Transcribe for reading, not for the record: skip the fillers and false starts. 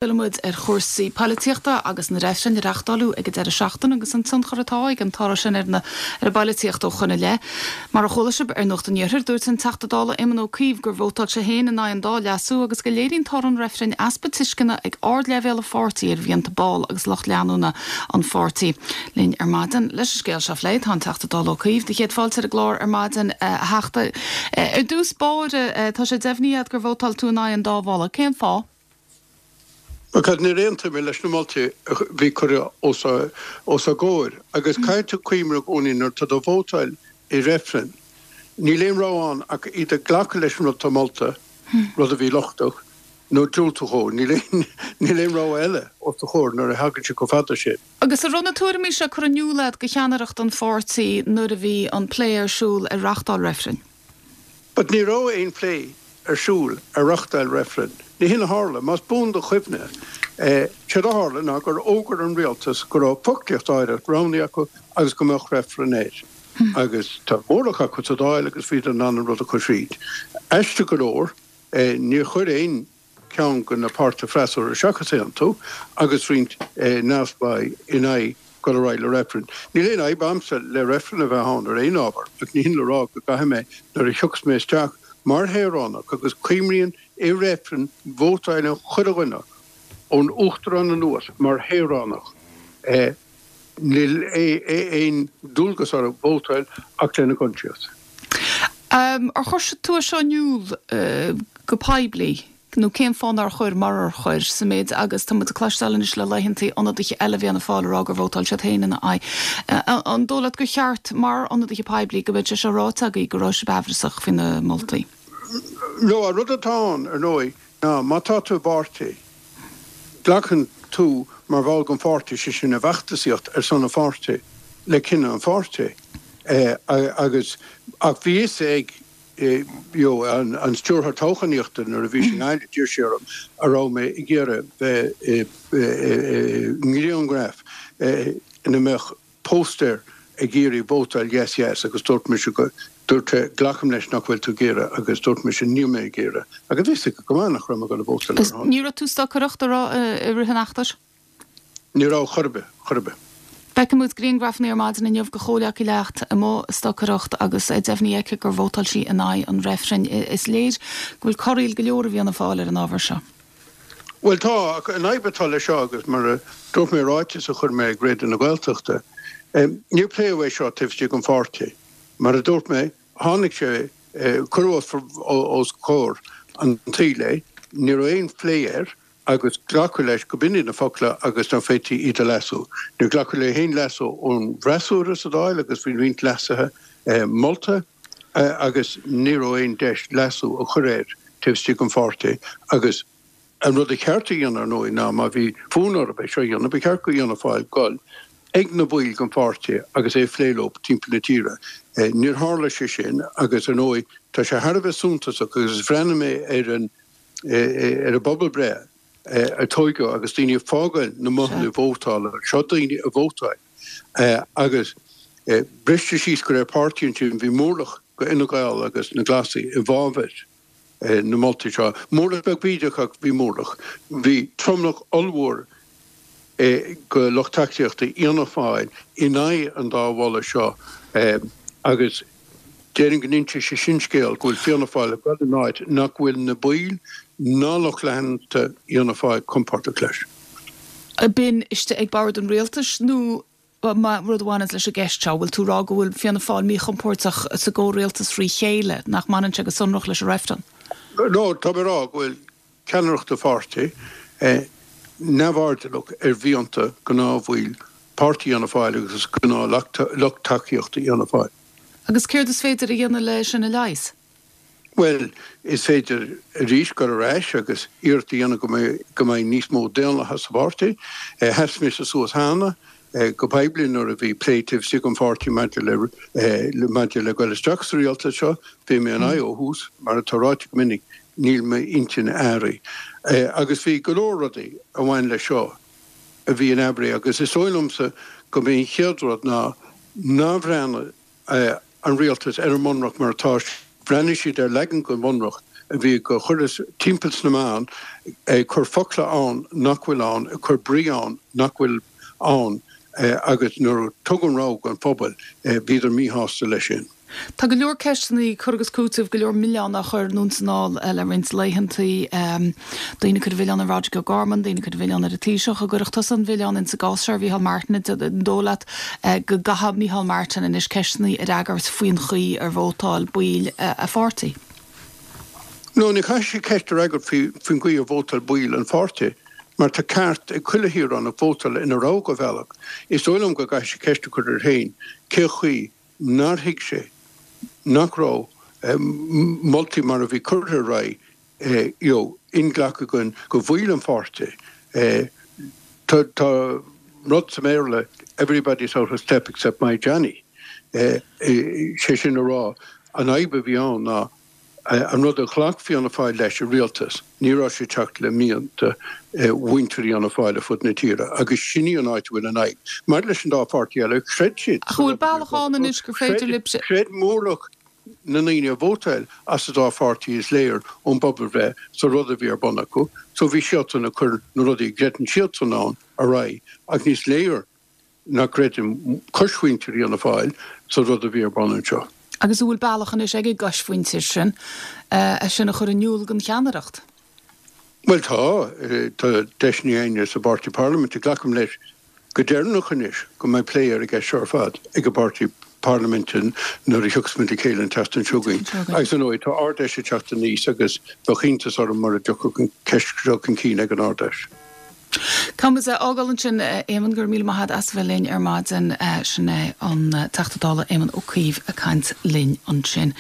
Fillfidh muid ar chúrsaí poilitíochta agus na reifrinn a reachtáileadh ag an deireadh seachtaine agus an tionchar atá ag an toradh sin ar an ar an bpoilitíocht ó shoin i leith. Mar a chuala sibh ar Nuacht an Iarthair, dúirt an Teachta Dála Éamon Ó Cuív gur vótáil sé féin in aghaidh an dá leasú agus go léiríonn toradh an reifrinn easpa tuisceana ag ardleibhéal an pháirtí ar mhianta ball agus lucht leanúna an pháirtí. Linn ar maidin leis an scéal seo a phlé tá an Teachta Dála Ó Cuív. Do chéad fáilte ar an gclár ar maidin, a Theachta. Ar dtús báire, tá sé deimhnithe agat gur vótáil tú in aghaidh an dá mholadh. Cén fáth? Because níor aontaigh mé leis na moltaí a bhí curtha os ár gcomhair. Agus caithfidh tú cuimhneamh i gcónaí nuair atá tú ag vótáil i reifreann, níl aon rogha ann ach either glacadh leis an rud atá molta, rud a bhí lochtach, nó diúltú dhó. Níl aon níl aon rogha eile os do chomhair nuair a thagann sé chomh fada sin. Agus an raibh na tuairimí seo curtha in iúl agat do cheannaireacht an pháirtí nuair a bhí an plé ar siúl ar reachtáil reifrinn? But ní raibh aon phlé ar siúl ar reachtáil reifrinn. Ní hin a tharla. Más buan do chuimhne, séard a tharla ná gur fhógair an rialtas go raibh foclaíocht áirithe roghnaithe acu agus go mbeadh reifreann air. Agus tá mórlach acu sa Dáil agus bhíodar in ann an rud a chur thríd. Aisteach go leor, níor chuir aon ceann de na páirtithe freasúra seachas Aontú agus roinnt neamhspleáigh in aghaidh dul ar aghaidh le reifreann. Níl aon fhadhb a'msa le reifreann a bheith ann ar aon ábhar ach ní hin le rá go gcaithfidh mé nuair a thiocfas mé isteach mar shaoránach agus cuimríonn i reifreann vótáileann chuile dhuine ón Uachtarán anuas mar shaoránach níl aon dualgas orthu vótáil ach lena gcoinsias. Ar chuir tú é seo in iúl go poiblí nó cén fáth nár chuir, murar chuir, sa méid agus tá muid ag cloisteáil anois le laethantaí ionadaithe eile Fhianna Fáil ag rá gur vótáil siad féin ina aghaidh. An dóigh leat gur cheart, mar ionadaithe poiblí, go mbeadh sé seo ráite agaibh go raibh sibh aimhreasach faoi na moltaí? No, an rud atá ann, ar ndóigh, ná má tá tú i bpáirtí, Glacann tú mar bhall den pháirtí, sé sin i bhfeachtasaíocht ar son an pháirtí, le cinneadh an pháirtí. Agus, ach bhí fhios ag you know an stiúrthóir toghchánaíochta nuair a bhí sé i nGaillimh, d'iarr sé orm an raibh mé ag iarraidh bheith i ngrianghraf ina mbeadh póstaer ag iarraidh vótáil yes yes agus dúirt mise go, dúirt sé glacaim leis nach bhfuil tú ag iarraidh agus dúirt mise níl mé ag iarraidh agus bhí fhios aige go maith nach raibh mé ag dul a vótáil ar a shon. Ní raibh tú ag stocaireacht a raibh i rith an fheachtais? Ní raibh chor ar bith, chor ar bith. Feicfidh muid grianghrafanna ar maidin inniu de chomhghleacaí leat amuigh ag stocaireacht agus é deimhnithe aici gur vótáil sí in aghaidh an reifrinn. Is léir go bhfuil corraíl go leor i bhFianna Fáil ar an ábhar seo. Bhuel tá, ach an fhadhb atá leis seo, agus mar a dúirt mé i ráiteas a chuir mé ag Raidió na Gaeltachta, níor pléadh é seo taobh istigh den pháirtí. Mar a dúirt mé, tháinig sé, cuireadh os comhair an tsaoil é, ní raibh aon phlé air agus glacadh leis go b'in iad na focla agus nach bhféadfaí iad a leasú. Níor glacadh le haon leasú ón bhfreasúra sa Dáil agus bhí roinnt leasuithe molta. agus ní raibh aon deis leasú a chur air taobh istigh den pháirtí agus an rud a cheart a dhéanamh ar ndóigh ná má bhí fonn orthu é seo a dhéanamh ba cheart go Fhianna Fáil dul ag na baill den pháirtí agus é a phlé leo timpeall na tíre. Níor tharla sé sin agus ar ndóigh tá sé thar a bheith suntasach agus bhreathnaigh mé ar an ar an bpobalbhreith a tóigeadh agus daoine ag fágáil na mbothanna vótála, seo daoine a vótáil agus briste síos de réir páirtí ansin, bhí mórlach go Fhine Gael agus na Glasaigh i bhfabhar na moltaí seo. Mórlach beag bídeach ach bhí mórlach. Bhí tromlach ollmhór go lucht tacaíochta Fhianna Fáil in aghaidh an dá mholadh seo agus déarfainn go n-inseoidh sé sin scéal go bhfuil Fianna Fáil ag dul in áit nach bhfuil na baill ná lucht leanta Fhianna Fáil compordach leis. B'in istigh ag bord an rialtais nó rud a bhaineanns leis an gceist seo? Bhfuil tú ag rá go bhfuil Fianna Fáil míchompordach sa gcomhrialtas thrí chéile, nach mbaineann sé go sonrach leis an reifreann? No, tá mé ag rá go bhfuil ceannaireacht an pháirtí neamhairdeallach ar mhianta gnáthbhaill páirtí Fhianna Fáil agus gnáth-lucht tacaíochta Fhianna Fáil. Agus céard is féidir a dhéanamh le sin a leigheas? Bhuel, is féidir arís dul ar ais agus iarracht a dhéanamh go mbeidh go mbeidh níos mó daonlathas sa pháirtí. Sheas mise suas cheana go poiblí nuair a bhí plé taobh istigh den pháirtí maidir le maidir le dul isteach sa rialtas seo. Bhí mé in aghaidh ó thús, mar atá ráite go minic, níl m'intinn athraithe. Agus bhí go leor rudaí a bhain leis seo a bhí in aimhréidh agus is dóigh liomsa go mb'é an chéad rud ná nár bhreathnaigh an rialtas ar an mBunreacht mar atá sé. Bhreathnaigh siad ar leagan den Bhunreacht. a bhí ag cur timpeall sna meáin, ag cur focla ann nach bhfuil ann, ag cur brí ann nach bhfuil ann agus nuair a tugadh an rogha don phobal, bhíodar míshásta leis sin. Tá go leor ceisteanna, cur agus cúiteamh, go leor milleán á chur anonn is anall le roinnt laethantaí. Daoine ag cur an mhilleáin ar Roderic O'Gorman, daoine ag cur an mhilleáin ar an Taoiseach. An gcuirfeadh tusa an milleán insa gcás seo ar Mhícheál Martin? An dóigh leat go gcaithfidh Micheál Martin anois ceisteanna a fhreagairt faoin chaoi ar vótáil baill a pháirtí? No, ní chaithfidh sé ceist a fhreagairt faoin gcaoi ar vótáil baill an pháirtí, mar tá ceart ag chuile shaoránach vótáil ina rogha bhealach. Is dóigh liom go gcaithfidh sé ceist a chur air féin cé chaoi nár thuig sé nach raibh moltaí mar a bhí curtha ar aghaidh you know inghlactha do bhaill an pháirtí. Tá tá rud sa mBéarla everybody's out of step except my Johnny. Sé sin a rá, an fhadhb a bhí ann ná an rud a ghlac Fianna Fáil leis i rialtas, ní raibh sé ag teacht le mianta mhuintir Fhianna Fáil ar fud na tíre agus sin í an áit a bhfuil an fhadhb. Maidir leis an dá pháirtí eile, chreid siad Ach an bhfuil bealach ann anois gur féidir libhse. Chreid mórlach na ndaoine a vótáil as an dá pháirtí is léir ón bpobalbhreith sa rud a bhí ar bun acu so bhí siadsan ag cur na rudaí a gcreideann siadsan ann ar aghaidh ach níos léir nach gcreideann coismhuintir Fhianna Fáil sa rud a bhí ar bun anseo. Agus an bhfuil bealach anois ag an gcoismhuintir sin é sin a chur in iúl don cheannaireacht? Bhuel tá, tá deiseanna againne sa bpáirtí parlaiminte, glacaim leis go deireanach anois go mbeidh plé ar an gceist seo ar fad ag an bpáirtí parlaiminte nuair a thiocfas muid le chéile an tseachtain seo chugainn. Agus ar ndóigh tá Ard-Fheis ag teacht aníos agus bheadh iontas orm mura dtiocfadh an ceist seo chun cinn ag an Ard-Fheis. Tá muid á fhágáil ansin, a Éamonn, go raibh míle maith agat as a bheith linn ar maidin. Sin é an Teachta Dála Éamon Ó Cuív ag caint linn ansin.